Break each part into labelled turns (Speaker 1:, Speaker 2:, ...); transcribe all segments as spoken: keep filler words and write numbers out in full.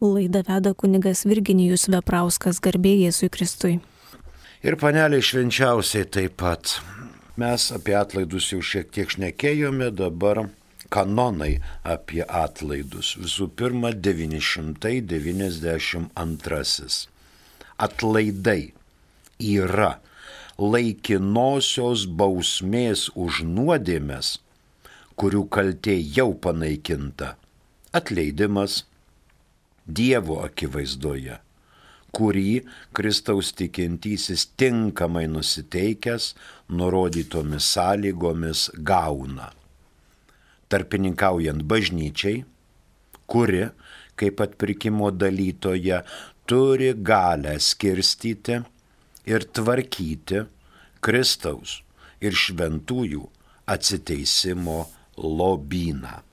Speaker 1: Laidą veda kunigas Virginijus Veprauskas, garbė Jėzui Kristui.
Speaker 2: Ir panelė švenčiausiai taip pat. Mes apie atlaidus jau šiek tiek šnekėjome, dabar kanonai apie atlaidus. Visų pirma, devyni šimtai devyniasdešimt antrasis. Atlaidai yra laikinosios bausmės už nuodėmes, kurių kaltė jau panaikinta, atleidimas Dievo akivaizdoje, kurį Kristaus tikintysis tinkamai nusiteikęs nurodytomis sąlygomis gauna. Tarpininkaujant bažnyčiai, kuri, kaip atpirkimo dalytoja, turi galę skirstyti ir tvarkyti Kristaus ir šventųjų atsiteisimo lobyną.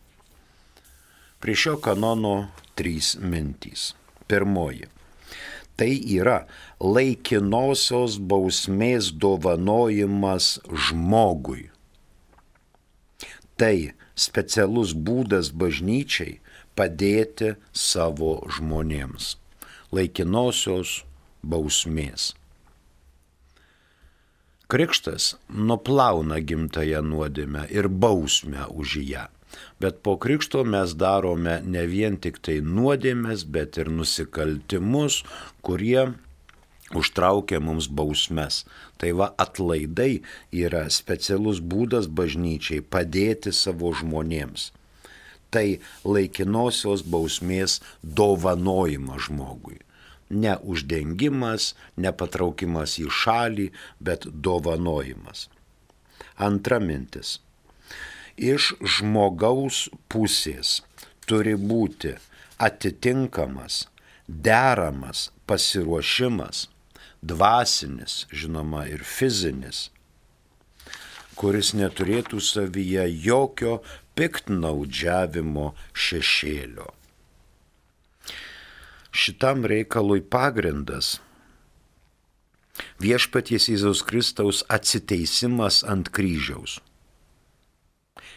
Speaker 2: Prie šio kanono trys mintys. Pirmoji. Tai yra laikinosios bausmės dovanojimas žmogui. Tai specialus būdas bažnyčiai padėti savo žmonėms. Laikinosios bausmės. Krikštas nuplauna gimtąją nuodėmę ir bausmę už ją. Bet po krikšto mes darome ne vien tik tai nuodėmes, bet ir nusikaltimus, kurie užtraukia mums bausmes. Tai va, atlaidai yra specialus būdas bažnyčiai padėti savo žmonėms. Tai laikinosios bausmės dovanojimas žmogui. Ne uždengimas, ne patraukimas į šalį, bet dovanojimas. Antra mintis. Iš žmogaus pusės turi būti atitinkamas, deramas pasiruošimas, dvasinis, žinoma, ir fizinis, kuris neturėtų savyje jokio piktnaudžiavimo šešėlio. Šitam reikalui pagrindas viešpaties Jėzaus Kristaus atsiteisimas ant kryžiaus.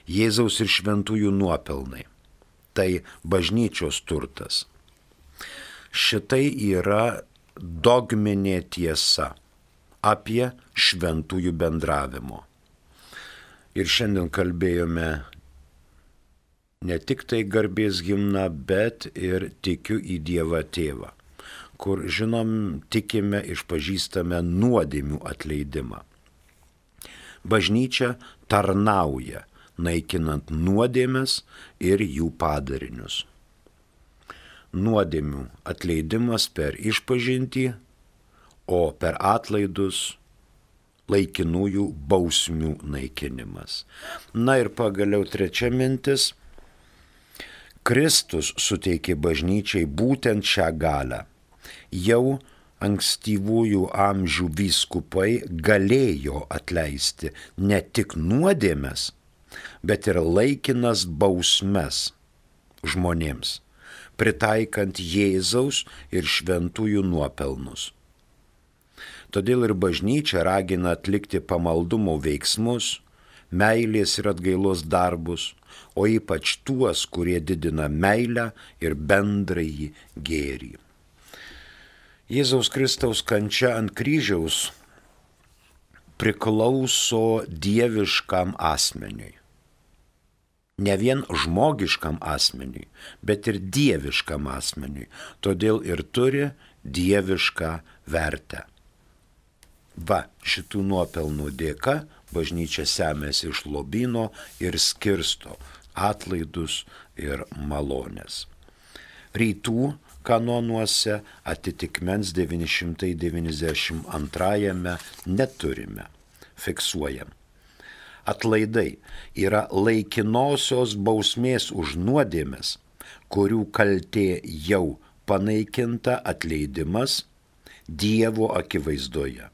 Speaker 2: Jėzaus ir šventųjų nuopelnai. Tai bažnyčios turtas. Šitai yra dogminė tiesa apie šventųjų bendravimo. Ir šiandien kalbėjome ne tik tai garbės himną, bet ir tikiu į Dievą Tėvą, kur, žinom, tikime, išpažįstame nuodėmių atleidimą. Bažnyčia tarnauja, naikinant nuodėmes ir jų padarinius. Nuodėmių atleidimas per išpažintį, o per atlaidus laikinųjų bausmių naikinimas. Na ir pagaliau trečia mintis. Kristus suteikė bažnyčiai būtent šią galią. Jau ankstyvųjų amžių vyskupai galėjo atleisti ne tik nuodėmes, bet ir laikinas bausmes žmonėms, pritaikant Jėzaus ir šventųjų nuopelnus. Todėl ir bažnyčia ragina atlikti pamaldumo veiksmus, meilės ir atgailos darbus, o ypač tuos, kurie didina meilę ir bendrąjį gėrį. Jėzaus Kristaus kančia ant kryžiaus priklauso dieviškam asmeniui. Ne vien žmogiškam asmeniui, bet ir dieviškam asmeniui. Todėl ir turi dievišką vertę. Va, šitų nuopelnų dėka bažnyčia semėsi iš lobyno ir skirsto atlaidus ir malonės. Rytų kanonuose atitikmens devyni šimtai devyniasdešimt antrajame neturime. Fiksuojam. Atlaidai yra laikinosios bausmės už nuodėmes, kurių kaltė jau panaikinta atleidimas Dievo akivaizdoje,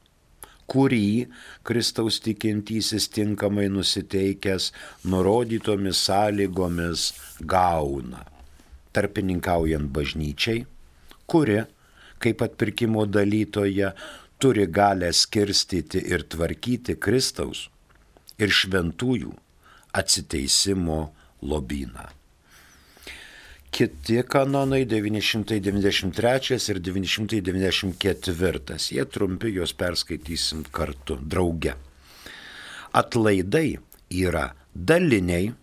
Speaker 2: kurį Kristaus tikintysis tinkamai nusiteikęs nurodytomis sąlygomis gauna, tarpininkaujant bažnyčiai, kuri, kaip atpirkimo dalytoja, turi galę skirstyti ir tvarkyti Kristaus ir šventųjų atsiteisimo lobyną. Kiti kanonai devyni šimtai devyniasdešimt trečias ir devyni šimtai devyniasdešimt ketvirtas. Jie trumpi, juos perskaitysim kartu, drauge. Atlaidai yra daliniai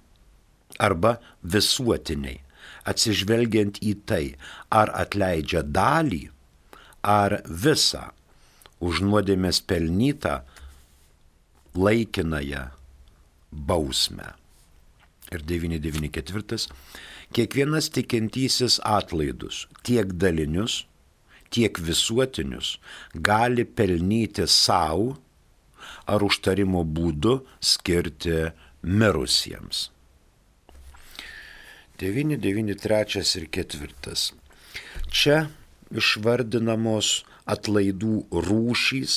Speaker 2: arba visuotiniai, atsižvelgiant į tai, ar atleidžia dalį, ar visą už nuodėmės pelnytą laikinąją bausmę. Ir devyni devyni ketvirtas. Kiekvienas tikintysis atlaidus, tiek dalinius, tiek visuotinius, gali pelnyti savo ar užtarimo būdu skirti mirusiems. devyni devyni trečias ir ketvirtas. Čia išvardinamos atlaidų rūšys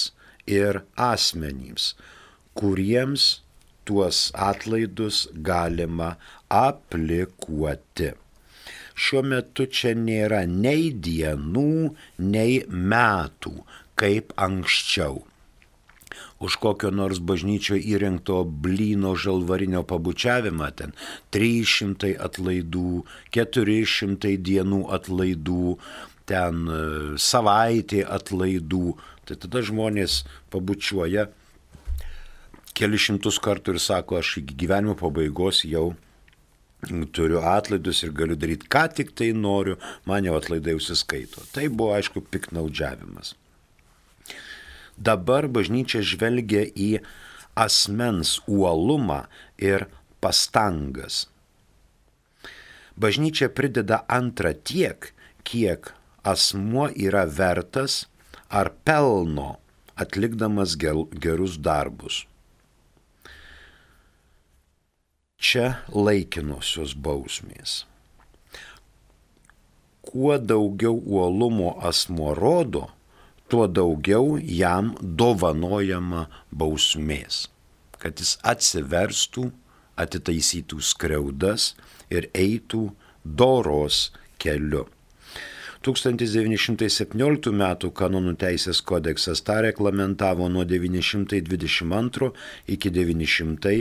Speaker 2: ir asmenys, kuriems tuos atlaidus galima aplikuoti. Šiuo metu čia nėra nei dienų, nei metų, kaip anksčiau. Už kokio nors bažnyčio įrengto blyno žalvarinio pabučiavimą ten trys šimtai atlaidų, keturi šimtai dienų atlaidų, ten savaitė atlaidų. Tai tada žmonės pabučiuoja keli šimtus kartų ir sako, aš iki gyvenimo pabaigos jau turiu atlaidus ir galiu daryti, ką tik tai noriu, man jau atlaidai užsiskaito. Tai buvo, aišku, piknaudžiavimas. Dabar bažnyčia žvelgia į asmens uolumą ir pastangas. Bažnyčia prideda antrą tiek, kiek asmuo yra vertas ar pelno atlikdamas gerus darbus. Čia laikinosios bausmės. Kuo daugiau uolumo asmuo rodo, tuo daugiau jam dovanojama bausmės, kad jis atsiverstų, atitaisytų skriaudas ir eitų doros keliu. tūkstantis devyni šimtai septynioliktų metų kanonų teisės kodeksas tą reglamentavo nuo devyni šimtai dvidešimt antro iki devyni šimtai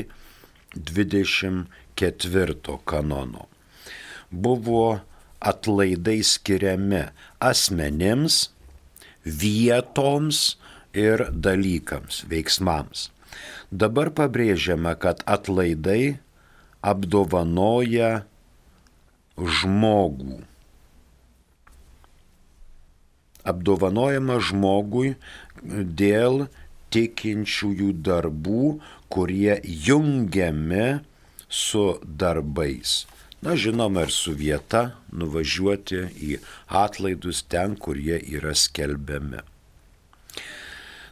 Speaker 2: dvidešimt ketvirto kanono. Buvo atlaidai skiriami asmenims, vietoms ir dalykams, veiksmams. Dabar pabrėžiama, kad atlaidai apdovanoja žmogų. Apdovanojama žmogui dėl tikinčiųjų darbų, kurie jungiami su darbais. Na, žinoma, ir su vieta nuvažiuoti į atlaidus ten, kur jie yra skelbiami.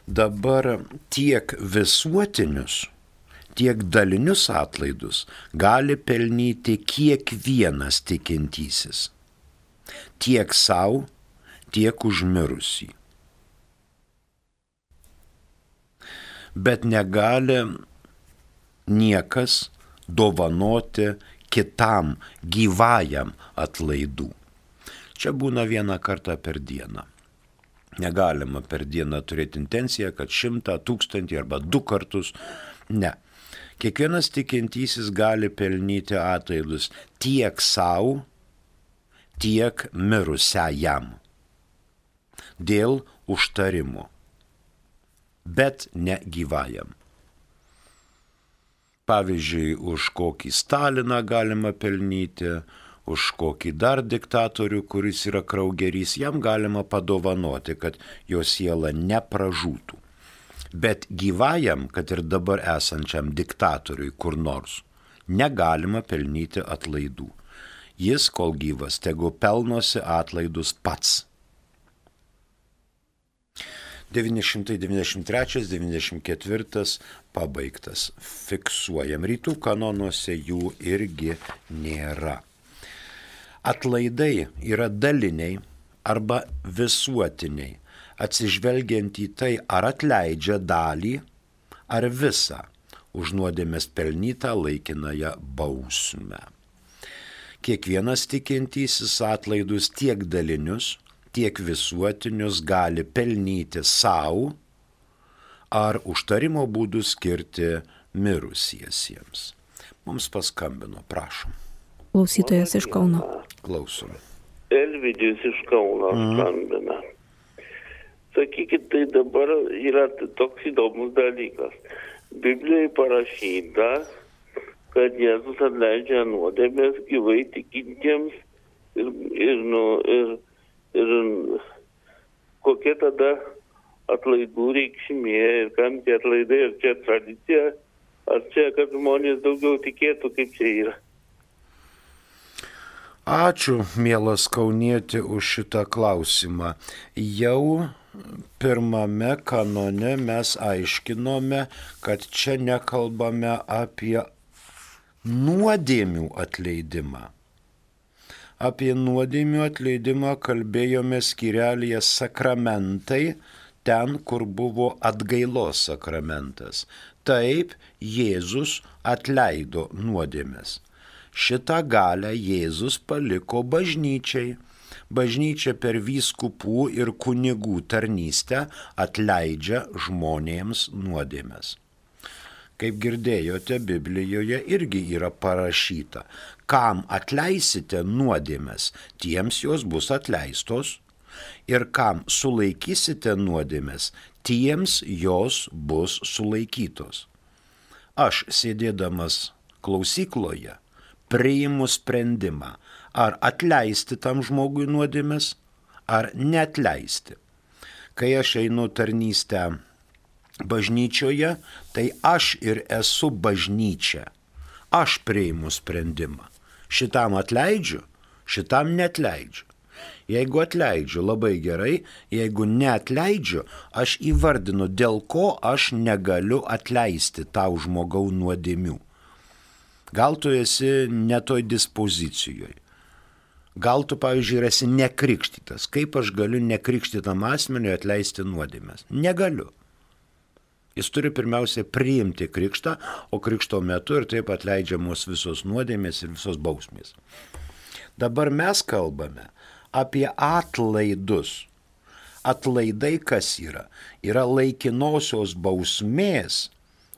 Speaker 2: Dabar tiek visuotinius, tiek dalinius atlaidus gali pelnyti kiekvienas tikintysis. Tiek savo, tiek užmirusį. Bet negali niekas dovanoti kitam gyvajam atlaidų. Čia būna vieną kartą per dieną. Negalima per dieną turėti intenciją, kad šimtą, tūkstantį arba du kartus. Ne. Kiekvienas tikintysis gali pelnyti atlaidus tiek savo, tiek mirusiajam. Dėl užtarimo. Bet ne gyvajam. Pavyzdžiui, už kokį Staliną galima pelnyti, už kokį dar diktatorių, kuris yra kraugerys, jam galima padovanoti, kad jo siela nepražūtų. Bet gyvajam, kad ir dabar esančiam diktatoriui kur nors, negalima pelnyti atlaidų. Jis, kol gyvas, tegu pelnosi atlaidus pats. devyni šimtai devyniasdešimt trečias devyniasdešimt ketvirtas pabaigtas. Fiksuojam. Rytų kanonuose jų irgi nėra. Atlaidai yra daliniai arba visuotiniai, atsižvelgiant į tai, ar atleidžia dalį, ar visą už nuodėmės pelnytą laikinąją bausmę. Kiekvienas tikintysis atlaidus tiek dalinius, tiek visuotinius gali pelnyti savo ar užtarimo būdų skirti mirusiesiems. Mums paskambino, prašom.
Speaker 1: Klausytojas iš Kauno.
Speaker 2: Klausom.
Speaker 3: Elvidijus iš Kauno skambina. Sakykit, tai dabar yra toks įdomus dalykas. Biblijoje parašyta, kad Jėzus atleidžia nuodėmės gyvai tikintiems ir, ir, nu, ir, ir kokia tada atlaidų reikšmė ir kam tie atlaidai, ar čia tradicija, ar čia, kad žmonės daugiau tikėtų, kaip čia yra.
Speaker 2: Ačiū, mielas kaunieti, už šitą klausimą. Jau pirmame kanone mes aiškinome, kad čia nekalbame apie nuodėmių atleidimą. Apie nuodėmių atleidimą kalbėjome skyrelyje sakramentai, ten, kur buvo atgailos sakramentas. Taip, Jėzus atleido nuodėmes. Šitą galią Jėzus paliko bažnyčiai. Bažnyčia per vyskupų ir kunigų tarnystę atleidžia žmonėms nuodėmes. Kaip girdėjote, Biblijoje irgi yra parašyta, kam atleisite nuodėmes, tiems jos bus atleistos, ir kam sulaikysite nuodėmes, tiems jos bus sulaikytos. Aš, sėdėdamas klausykloje, priimu sprendimą, ar atleisti tam žmogui nuodėmes, ar neatleisti. Kai aš einu tarnystę bažnyčioje, tai aš ir esu bažnyčia. Aš priimu sprendimą. Šitam atleidžiu, šitam neatleidžiu. Jeigu atleidžiu, labai gerai, jeigu neatleidžiu, aš įvardinu, dėl ko aš negaliu atleisti tau žmogau nuodėmių. Gal tu esi ne toj dispozicijoje. Gal tu, pavyzdžiui, esi nekrikštytas. Kaip aš galiu nekrikštytam asmeniui atleisti nuodėmes? Negaliu. Jis turi pirmiausia priimti krikštą, o krikšto metu ir taip atleidžiamos visos nuodėmės ir visos bausmės. Dabar mes kalbame apie atlaidus. Atlaidai kas yra? Yra laikinosios bausmės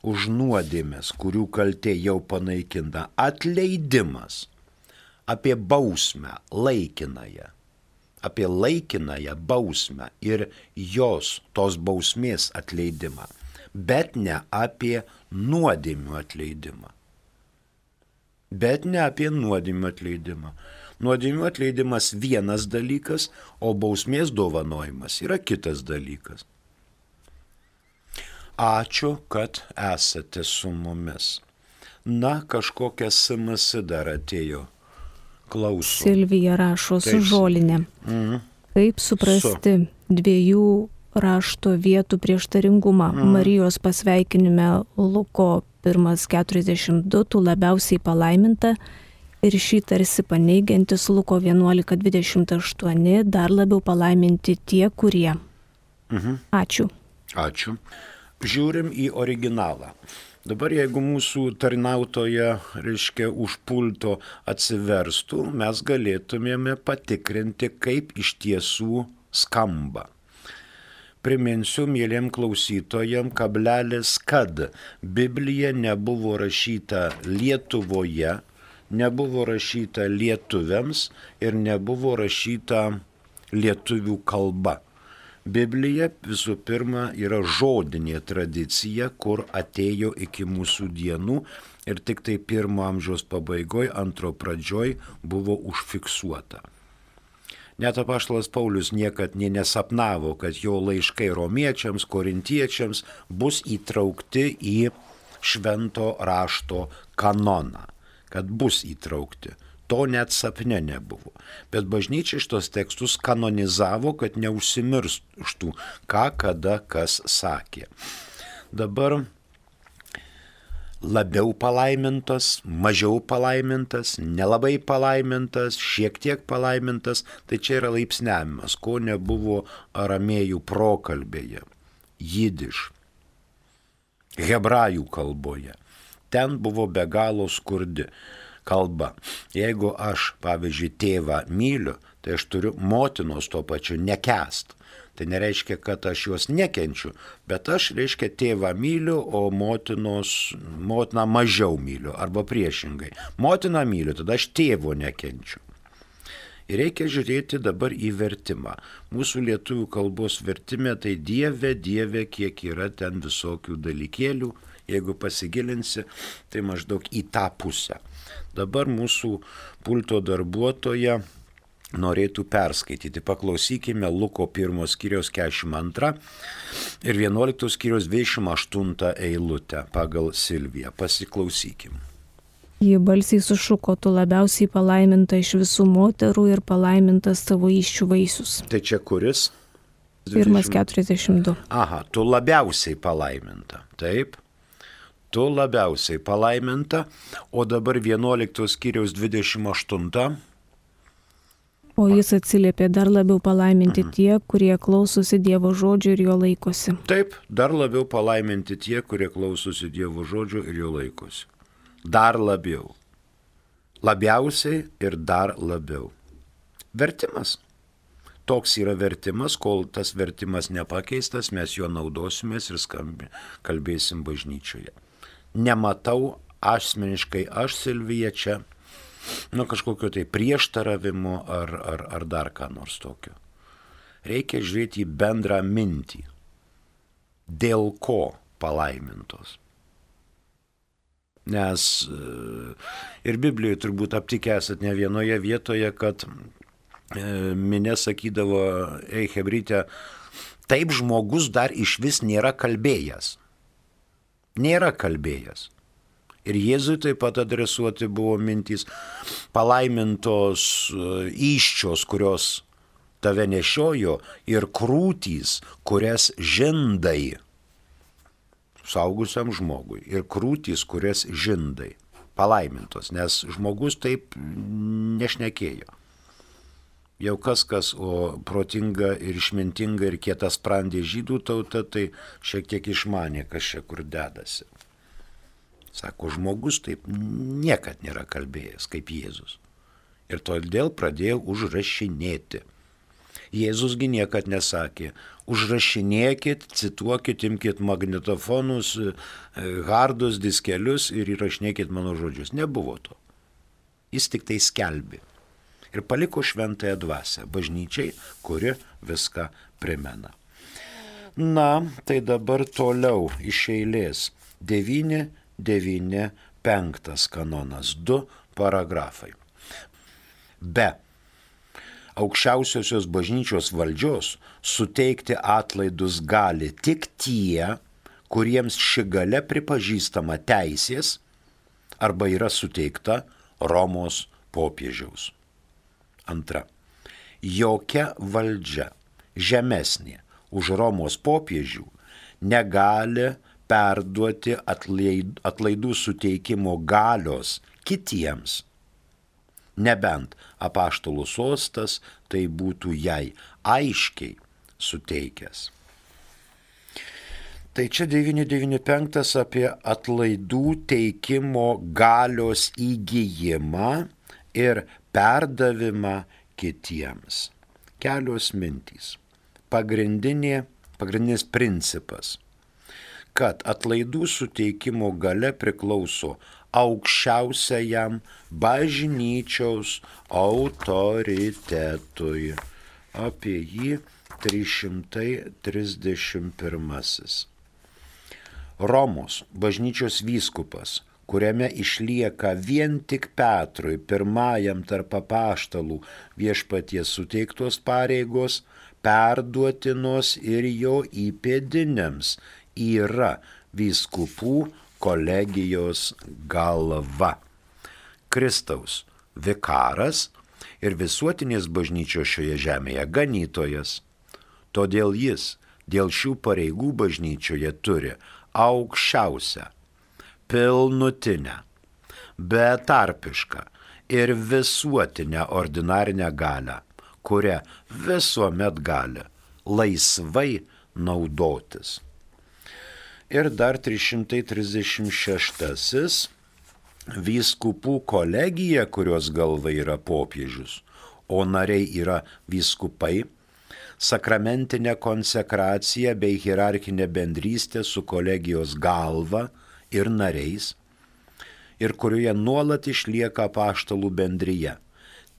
Speaker 2: už nuodėmės, kurių kaltė jau panaikinta, atleidimas. Apie bausmę laikinąją. Apie laikinąją bausmę ir jos, tos bausmės atleidimą. Bet ne apie nuodėmių atleidimą. Bet ne apie nuodėmių atleidimą. Nuodėmių atleidimas vienas dalykas, o bausmės dovanojimas yra kitas dalykas. Ačiū, kad esate su mumis. Na, kažkokia S M S dar atėjo. Klausom.
Speaker 1: Silvija rašo su žolinė. Mm. Kaip suprasti su. dviejų rašto vietų prieštaringumą? Mm. Marijos pasveikinime Luko pirmas keturiasdešimt du, tu labiausiai palaiminta, ir šį tarsi paneigiantis Luko vienuolika dvidešimt aštuoni, dar labiau palaiminti tie, kurie. Mm-hmm. Ačiū.
Speaker 2: Ačiū. Žiūrim į originalą. Dabar jeigu mūsų tarnautoja, reiškia, už pulto atsiverstų, mes galėtumėme patikrinti, kaip iš tiesų skamba. Priminsiu mieliem klausytojam, kablelis, kad Biblija nebuvo rašyta Lietuvoje, nebuvo rašyta lietuviams ir nebuvo rašyta lietuvių kalba. Biblija visų pirma yra žodinė tradicija, kur atėjo iki mūsų dienų ir tik tai pirmo amžiaus pabaigoje, antro pradžioj buvo užfiksuota. Net apaštalas Paulius niekad nė nesapnavo, kad jo laiškai romiečiams, korintiečiams bus įtraukti į švento rašto kanoną, kad bus įtraukti. To net sapne nebuvo. Bet bažnyčia šitos tekstus kanonizavo, kad neužsimirštų, ką kada kas sakė. Dabar labiau palaimintas, mažiau palaimintas, nelabai palaimintas, šiek tiek palaimintas, tai čia yra laipsniavimas, ko nebuvo aramėjų prokalbėje, jidiš, hebrajų kalboje. Ten buvo be galo skurdi kalba. Jeigu aš, pavyzdžiui, tėvą myliu, tai aš turiu motinos to pačiu nekęst. Tai nereiškia, kad aš juos nekenčiu, bet aš, reiškia, tėvą myliu, o motinos, motiną mažiau myliu, arba priešingai. Motiną myliu, tada aš tėvo nekenčiu. Ir reikia žiūrėti dabar į vertimą. Mūsų lietuvių kalbos vertime tai Dieve, Dieve, kiek yra ten visokių dalykėlių. Jeigu pasigilinsi, tai maždaug į tą pusę. Dabar mūsų pulto darbuotoja norėtų perskaityti. Paklausykime Luko pirmos skyriaus keturiasdešimt antrą ir vienuoliktos skyriaus dvidešimt aštuntą eilutę pagal Silviją. Pasiklausykim.
Speaker 1: Ji balsiai sušuko, tu labiausiai palaiminta iš visų moterų ir palaimintas tavo įsčių vaisius.
Speaker 2: Tai čia kuris?
Speaker 1: Pirmas keturiasdešimt du.
Speaker 2: Aha, tu labiausiai palaiminta. Taip. Tu labiausiai palaiminta. O dabar vienuoliktos skyriaus dvidešimt aštuntą.
Speaker 1: O jis atsiliepė, dar labiau palaiminti mhm. tie, kurie klausosi Dievo žodžio ir jo laikosi.
Speaker 2: Taip, dar labiau palaiminti tie, kurie klausosi Dievo žodžio ir jo laikosi. Dar labiau. Labiausiai ir dar labiau. Vertimas. Toks yra vertimas, kol tas vertimas nepakeistas, mes juo naudosimės ir skambi, kalbėsim bažnyčioje. Nematau asmeniškai aš, Silvija, čia nu, kažkokio tai prieštaravimo ar, ar, ar dar ką nors tokio. Reikia žiūrėti į bendrą mintį. Dėl ko palaimintos? Nes ir Biblijoje turbūt aptikę esat ne vienoje vietoje, kad minė sakydavo, ei hebryte, taip žmogus dar iš vis nėra kalbėjęs. Nėra kalbėjęs. Ir Jėzui taip pat adresuoti buvo mintys palaimintos įsčios, kurios tave nešiojo, ir krūtys, kurias žindai. Suaugusiam žmogui. Ir krūtys, kurias žindai. Palaimintos, nes žmogus taip nešnekėjo. Jau kas kas, o protinga ir išmintinga ir kietas sprendė žydų tauta, tai šiek tiek išmanė, kas čia kur dedasi. Sako, žmogus taip niekad nėra kalbėjęs kaip Jėzus. Ir todėl pradėjo užrašinėti. Jėzusgi niekad nesakė, užrašinėkit, cituokit, imkit magnetofonus, hardus, diskelius ir įrašinėkit mano žodžius. Nebuvo to. Jis tik tai skelbė. Ir paliko šventąją dvasią bažnyčiai, kuri viską primena. Na, tai dabar toliau iš eilės. devyni, devyni, penktas kanonas, du paragrafai. Be aukščiausiosios bažnyčios valdžios suteikti atlaidus gali tik tie, kuriems ši galia pripažįstama teisės arba yra suteikta Romos popiežiaus. Antra. Jokia valdžia žemesnė už Romos popiežių negali perduoti atlaidų suteikimo galios kitiems, nebent apaštalų sostas tai būtų jai aiškiai suteikęs. Tai čia devyni devyni penktas apie atlaidų teikimo galios įgijimą ir perdavimą kitiems. Kelios mintys. Pagrindinė, pagrindinis principas, kad atlaidų suteikimo galia priklauso aukščiausiajam bažnyčios autoritetui. Apie jį trys šimtai trisdešimt pirmasis. Romos bažnyčios vyskupas, kuriame išlieka vien tik Petrui, pirmajam tarp apaštalų viešpaties suteiktos pareigos, perduotinos ir jo įpėdiniams, yra vyskupų kolegijos galva. Kristaus vikaras ir visuotinės bažnyčios šioje žemėje ganytojas. Todėl jis dėl šių pareigų bažnyčioje turi aukščiausią, pilnutinę, betarpišką ir visuotinę ordinarinę galią, kurią visuomet gali laisvai naudotis. Ir dar trys šimtai trisdešimt šeštasis. Vyskupų kolegija, kurios galva yra popiežius, o nariai yra vyskupai, sakramentinė konsekracija bei hierarchinė bendrystė su kolegijos galva ir nariais, ir kurioje nuolat išlieka apaštalų bendryje.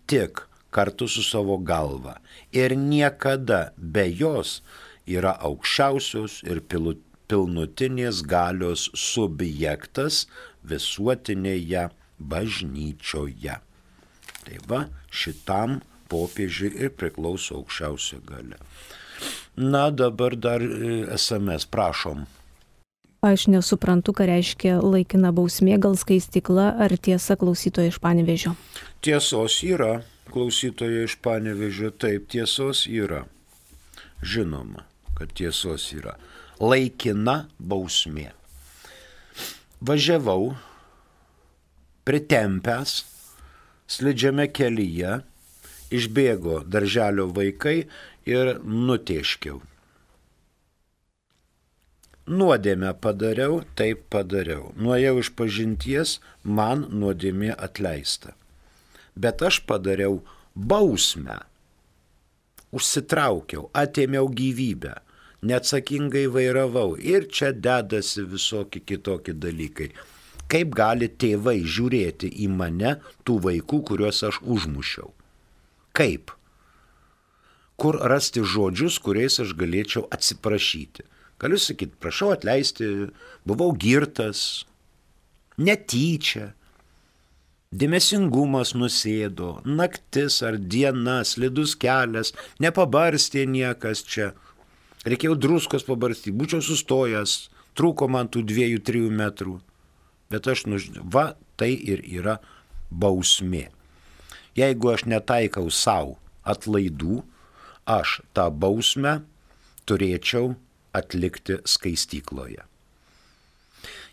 Speaker 2: Tik kartu su savo galva ir niekada be jos yra aukščiausios ir pilnutinės galios subjektas visuotinėje bažnyčioje. Tai va, šitam popiežiui ir priklauso aukščiausia galia. Na, dabar dar es em es, prašom.
Speaker 1: Aš nesuprantu, ką reiškia laikina bausmė, gal skaistykla, ar tiesa klausytoja iš Panevėžio?
Speaker 2: Tiesos yra, klausytoja iš Panevėžio, taip, tiesos yra. Žinoma, kad tiesos yra. Laikina bausmė. Važiavau, pritempęs, slidžiame kelyje, išbėgo darželio vaikai ir nutėškiau. Nuodėmę padariau, taip padariau. Nuėjau iš pažinties, man nuodėmė atleista. Bet aš padariau bausmę. Užsitraukiau, atėmiau gyvybę, neatsakingai vairavau ir čia dedasi visokie kitokie dalykai. Kaip gali tėvai žiūrėti į mane, tų vaikų, kuriuos aš užmušiau? Kaip? Kur rasti žodžius, kuriais aš galėčiau atsiprašyti? Galiu sakyti, prašau atleisti, buvau girtas, netyčia, dėmesingumas nusėdo, naktis ar diena, slidus kelias, nepabarstė niekas čia. Reikėjo druskos pabarstyti, būčiau sustojęs, trūko man tų dviejų, trijų metrų. Bet aš, nu, va, tai ir yra bausmė. Jeigu aš netaikau savo atlaidų, aš tą bausmę turėčiau atlikti skaistykloje.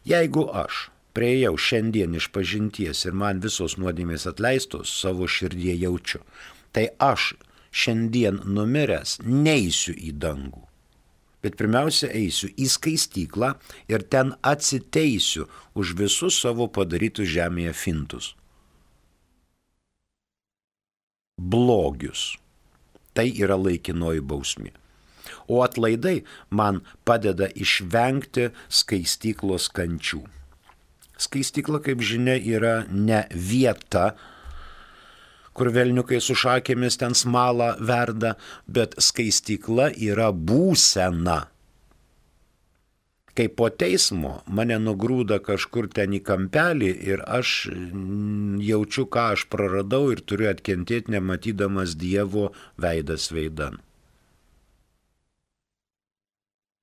Speaker 2: Jeigu aš priėjau šiandien iš pažinties ir man visos nuodėmės atleistos, savo širdie jaučiu, tai aš šiandien numiręs neisiu į dangų. Bet pirmiausia eisiu į skaistyklą ir ten atsiteisiu už visus savo padarytus žemėje fintus. Blogius. Tai yra laikinoji bausmė. O atlaidai man padeda išvengti skaistyklos kančių. Skaistykla, kaip žinia, yra ne vieta, kur velniukai su šakėmis ten smalą verda, bet skaistykla yra būsena. Kai po teismo mane nugrūda kažkur ten į kampelį ir aš jaučiu, ką aš praradau ir turiu atkentėti, nematydamas Dievo veidas veidan.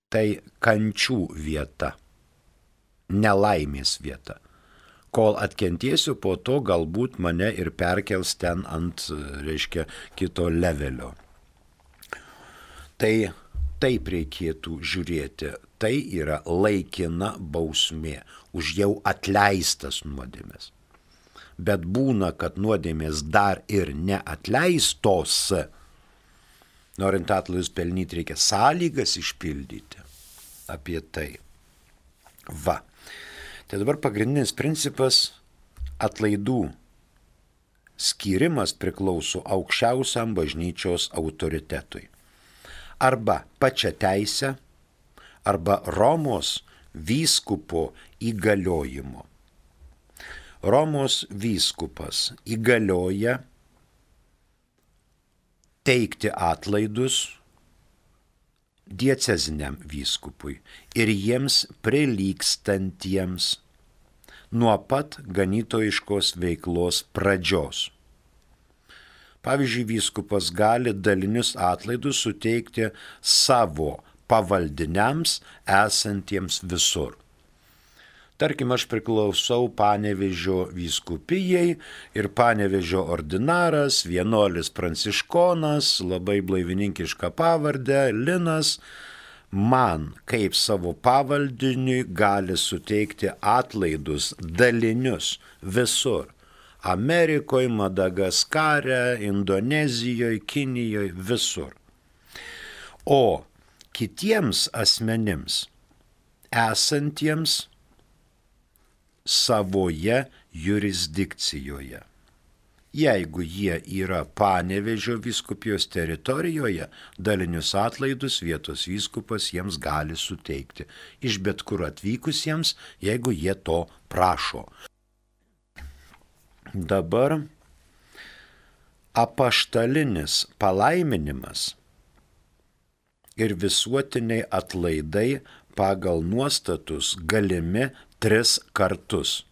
Speaker 2: Tai kančių vieta, nelaimės vieta. Kol atkentėsiu, po to galbūt mane ir perkels ten ant, reiškia, kito levelio. Tai taip reikėtų žiūrėti. Tai yra laikina bausmė už jau atleistas nuodėmės. Bet būna, kad nuodėmės dar ir neatleistos. Norint atlaidus pelnyti, reikia sąlygas išpildyti. Apie tai. Va. Tai dabar pagrindinis principas atlaidų skyrimas priklauso aukščiausiam bažnyčios autoritetui. Arba pačia teisė, arba Romos vyskupo įgaliojimo. Romos vyskupas įgalioja teikti atlaidus dieceziniam vyskupui ir jiems prilygstantiems nuo pat ganytojiškos veiklos pradžios. Pavyzdžiui, vyskupas gali dalinius atlaidus suteikti savo pavaldiniams esantiems visur. Tarkim, aš priklausau Panevėžio vyskupijai ir Panevėžio ordinaras, vienuolis pranciškonas, labai blaivininkiška pavardė, Linas, man kaip savo pavaldiniui gali suteikti atlaidus dalinius visur. Amerikoje, Madagaskare, Indonezijoje, Kinijoje, visur. O kitiems asmenims esantiems savoje jurisdikcijoje. Jeigu jie yra Panevėžio vyskupijos teritorijoje, dalinius atlaidus vietos vyskupas jiems gali suteikti iš bet kur atvykusiems, jeigu jie to prašo. Dabar apaštalinis palaiminimas ir visuotiniai atlaidai pagal nuostatus galimi tris kartus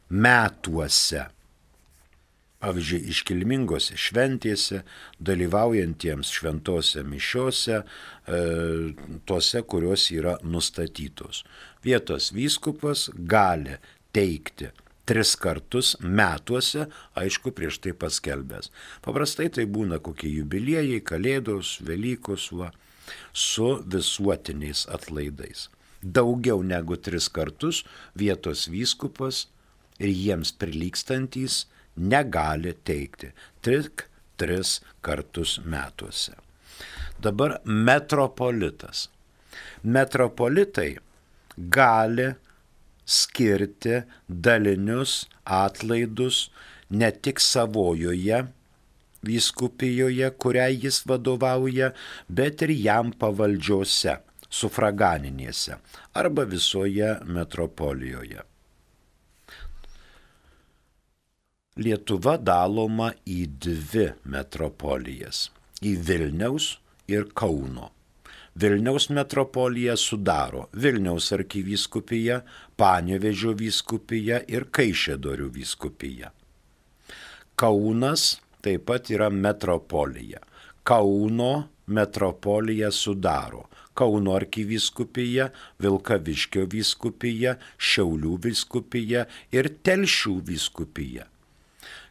Speaker 2: metuose. Pavyzdžiui, iškilmingose šventėse, dalyvaujantiems šventose mišiose, e, tose, kurios yra nustatytos. Vietos vyskupas gali teikti tris kartus metuose, aišku, prieš tai paskelbęs. Paprastai tai būna kokie jubiliejai, kalėdos, Velykos, va, su visuotiniais atlaidais. Daugiau negu tris kartus vietos vyskupas ir jiems prilygstantys negali teikti, tik tris kartus metuose. Dabar metropolitas. Metropolitai gali skirti dalinius atlaidus ne tik savojoje vyskupijoje, kuriai jis vadovauja, bet ir jam pavaldžiose, sufraganinėse arba visoje metropolijoje. Lietuva daloma į dvi metropolijas – į Vilniaus ir Kauno. Vilniaus metropoliją sudaro Vilniaus arkivyskupija, Panevėžio vyskupija ir Kaišiadorių vyskupija. Kaunas taip pat yra metropolija. Kauno metropoliją sudaro Kauno arkivyskupija, Vilkaviškio vyskupija, Šiaulių vyskupija ir Telšių vyskupija.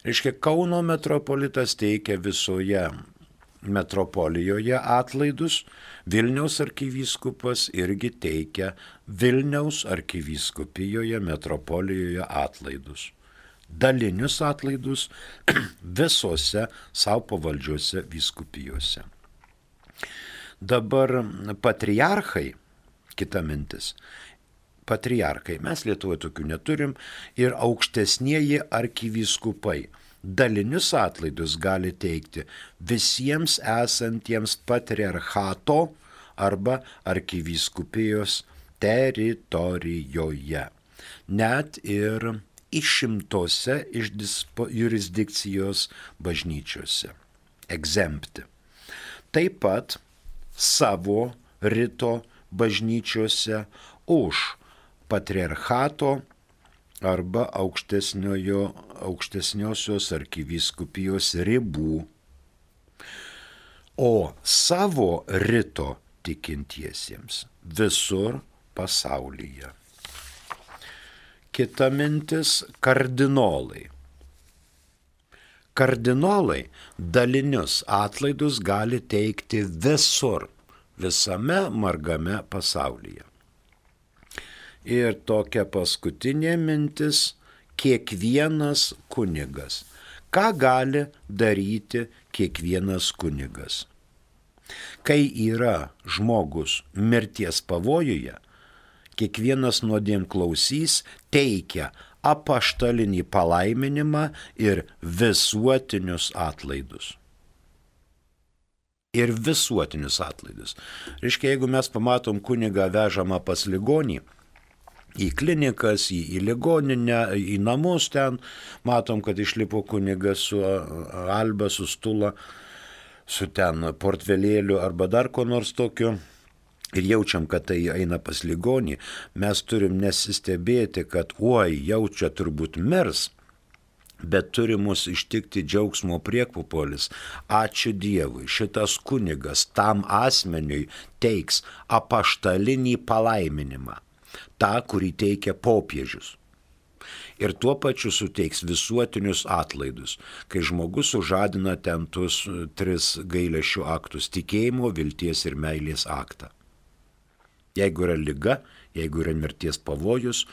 Speaker 2: Reiškia, Kauno metropolitas teikia visoje metropolijoje atlaidus, Vilniaus arkivyskupas irgi teikia Vilniaus arkivyskupijoje, metropolijoje atlaidus. Dalinius atlaidus visose savo pavaldžiose vyskupijose. Dabar patriarchai, kita mintis, patriarchai, mes Lietuvoje tokių neturim, ir aukštesnieji arkivyskupai dalinius atlaidus gali teikti visiems esantiems patriarchato arba arkivyskupijos teritorijoje, net ir išimtose iš dispo, jurisdikcijos bažnyčiose, egzempti. Taip pat savo rito bažnyčiose už patriarchato arba aukštesniosios arkivyskupijos ribų, o savo rito tikintiesiems visur pasaulyje. Kita mintis – kardinolai. Kardinolai dalinius atlaidus gali teikti visur, visame margame pasaulyje. Ir tokia paskutinė mintis – kiekvienas kunigas. Ką gali daryti kiekvienas kunigas? Kai yra žmogus mirties pavojuje, kiekvienas nuodėmklausys teikia apaštalinį palaiminimą ir visuotinius atlaidus. Ir visuotinius atlaidus. Reiškia, jeigu mes pamatom kunigą vežamą pas ligonį, į klinikas, į, į ligoninę, į namus ten, matom, kad išlipo kunigas su alba, su stula, su ten portvelėliu arba dar ko nors tokiu, ir jaučiam, kad tai eina pas ligonį, mes turim nesistebėti, kad oi, jau čia turbūt mirs, bet turi mus ištikti džiaugsmo priekpupolis. Ačiū Dievui, šitas kunigas tam asmeniui teiks apaštalinį palaiminimą, tą, kurį teikia popiežius. Ir tuo pačiu suteiks visuotinius atlaidus, kai žmogus sužadina ten tuos tris gailesčių aktus – tikėjimo, vilties ir meilės aktą. Jeigu yra liga, jeigu yra mirties pavojus,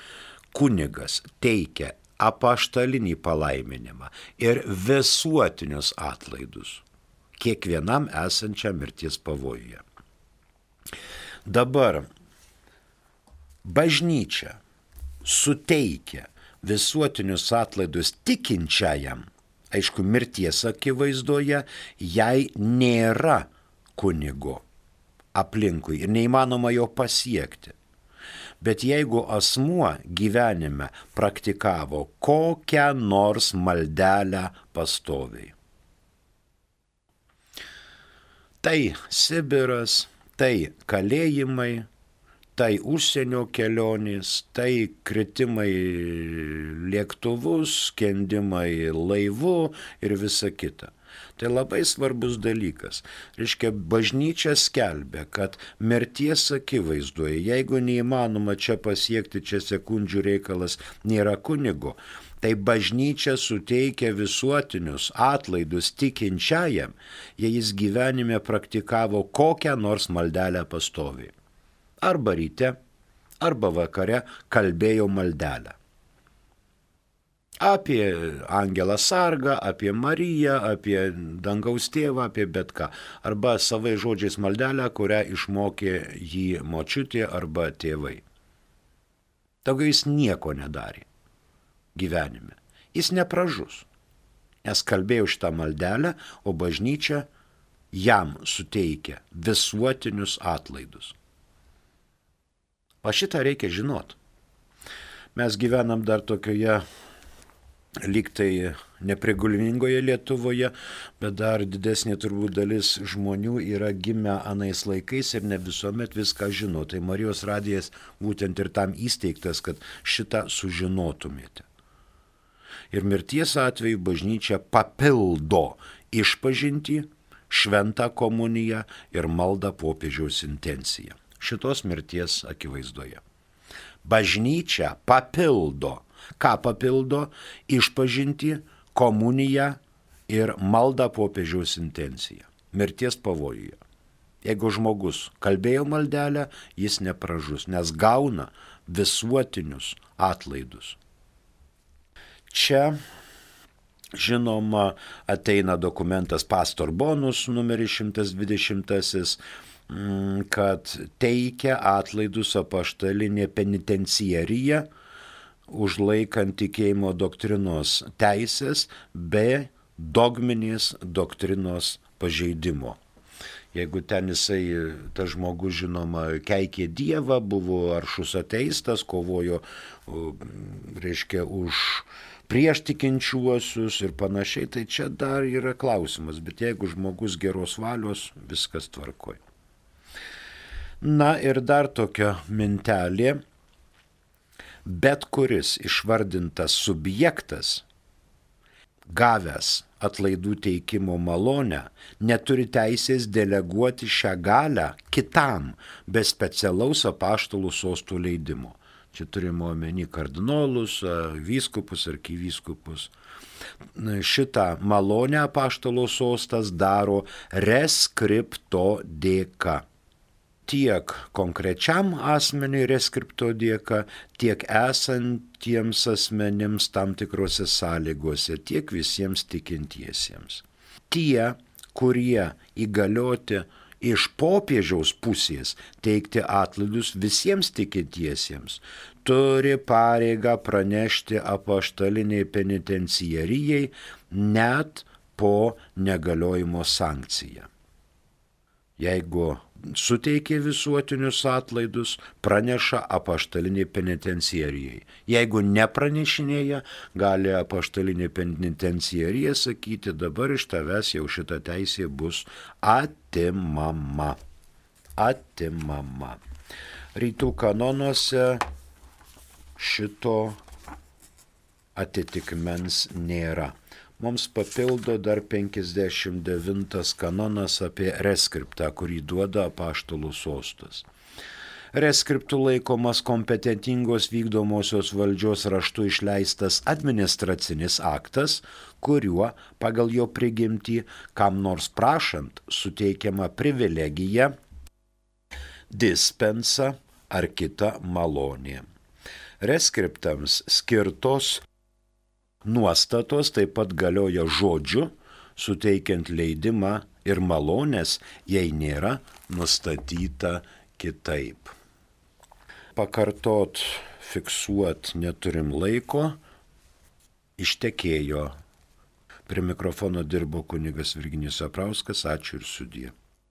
Speaker 2: kunigas teikia apaštalinį palaiminimą ir visuotinius atlaidus kiekvienam esančiam mirties pavojuje. Dabar bažnyčia suteikia visuotinius atlaidus tikinčiajam, aišku, mirties akivaizdoje, jei nėra kunigo aplinkui ir neįmanoma jo pasiekti. Bet jeigu asmuo gyvenime praktikavo kokią nors maldelę pastoviai, Tai Sibiras, tai kalėjimai, tai užsienio kelionės, tai kritimai lėktuvus, skendimai laivu ir visa kita. Tai labai svarbus dalykas. Reiškia, bažnyčia skelbia, kad mirties akivaizdoje, jeigu neįmanoma čia pasiekti, čia sekundžių reikalas, nėra kunigo, tai bažnyčia suteikia visuotinius atlaidus tikinčiajam, jei jis gyvenime praktikavo kokią nors maldelę pastoviai. Arba ryte, arba vakare kalbėjo maldelę. Apie Angelą Sargą, apie Mariją, apie dangaus tėvą, apie bet ką. Arba savai žodžiais maldelę, kurią išmokė jį močiutė arba tėvai. Daugiau jis nieko nedarė gyvenime. Jis nepražus, nes kalbėjo šitą maldelę, o bažnyčia jam suteikia visuotinius atlaidus. O šitą reikia žinot. Mes gyvenam dar tokioje lyg tai neprigulmingoje Lietuvoje, bet dar didesnė turbūt dalis žmonių yra gimę anais laikais ir ne visuomet viską žino. Tai Marijos radijas būtent ir tam įsteigtas, kad šitą sužinotumėte. Ir mirties atveju bažnyčia papildo išpažintį, šventą komuniją ir maldą popiežiaus intenciją. Šitos mirties akivaizdoje. Bažnyčia papildo. Ką papildo? Išpažintį, komuniją ir maldą popiežiaus intenciją. Mirties pavojuje. Jeigu žmogus kalbėjo maldelę, jis nepražus, nes gauna visuotinius atlaidus. Čia, žinoma, ateina dokumentas Pastor Bonus numeris šimtas dvidešimtasis, kad teikia atlaidus apaštalinė penitenciarija, užlaikant tikėjimo doktrinos teisės be dogminės doktrinos pažeidimo. Jeigu ten jisai, tas žmogus, žinoma, keikė Dievą, buvo aršus ateistas, kovojo, reiškia, už prieš tikinčiuosius ir panašiai, tai čia dar yra klausimas, bet jeigu žmogus geros valios, viskas tvarkoj. Na ir dar tokia mintelė, bet kuris išvardintas subjektas, gavęs atlaidų teikimo malonę, neturi teisės deleguoti šią galią kitam be specialaus apaštalų sostų leidimo. Čia turime omeny kardinolus, vyskupus, arkivyskupus. Šitą malonę apaštalo sostas daro reskripto dėka. Tiek konkrečiam asmeniui reskripto dėka, tiek esantiems asmenims tam tikrose sąlygose, tiek visiems tikintiesiems. Tie, kurie įgalioti iš popiežiaus pusės teikti atlaidus visiems tikintiesiems, turi pareigą pranešti apaštaliniai penitenciarijai net po negaliojimo sankciją. Jeigu suteikė visuotinius atlaidus, praneša apaštaliniai penitenciarijai. Jeigu nepranešinėja, gali apaštalinė penitenciarija sakyti, dabar iš tavęs jau šita teisė bus atimama. Atimama. Rytų kanonuose šito atitikmens nėra. Mums papildo dar penkiasdešimt devintas kanonas apie reskriptą, kurį duoda apaštalų sostas. Reskriptų laikomas kompetentingos vykdomosios valdžios raštu išleistas administracinis aktas, kuriuo pagal jo prigimtį kam nors prašant suteikiama privilegija, dispensa ar kita malonė. Reskriptams skirtos nuostatos taip pat galioja žodžiu, suteikiant leidimą ir malonės, jei nėra nustatyta kitaip. Pakartot, fiksuot neturim laiko, ištekėjo. Prie mikrofono dirbo kunigas Virginijus Aprauskas, ačiū ir sudie.